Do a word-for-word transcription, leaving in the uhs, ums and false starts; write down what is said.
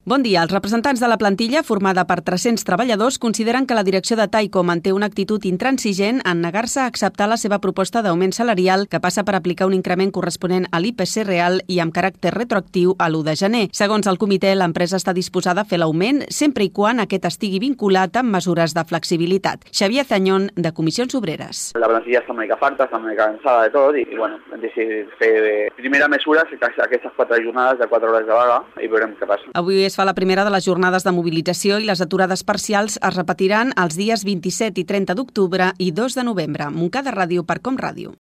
Bon dia. Els representants de la plantilla, formada per tres-cents treballadors, consideren que la direcció de Tyco manté una actitud intransigent en negar-se a acceptar la seva proposta d'augment salarial que passa per aplicar un increment corresponent a l'I P C real i amb caràcter retroactiu a l'u de gener. Segons el comitè, l'empresa està disposada a fer l'augment sempre i quan aquest estigui vinculat amb mesures de flexibilitat. Xavier Zañón, de Comissions Obreres. La plantilla està una mica farta, està una mica cansada de tot i, bueno, hem decidit fer primera mesura, aquestes quatre jornades de quatre hores de vaga i veurem què passa. Avui es fa la primera de les jornades de mobilització i les aturades parcials es repetiran els dies vint-i-set i trenta d'octubre i dos de novembre. Montcada Ràdio per Com Ràdio.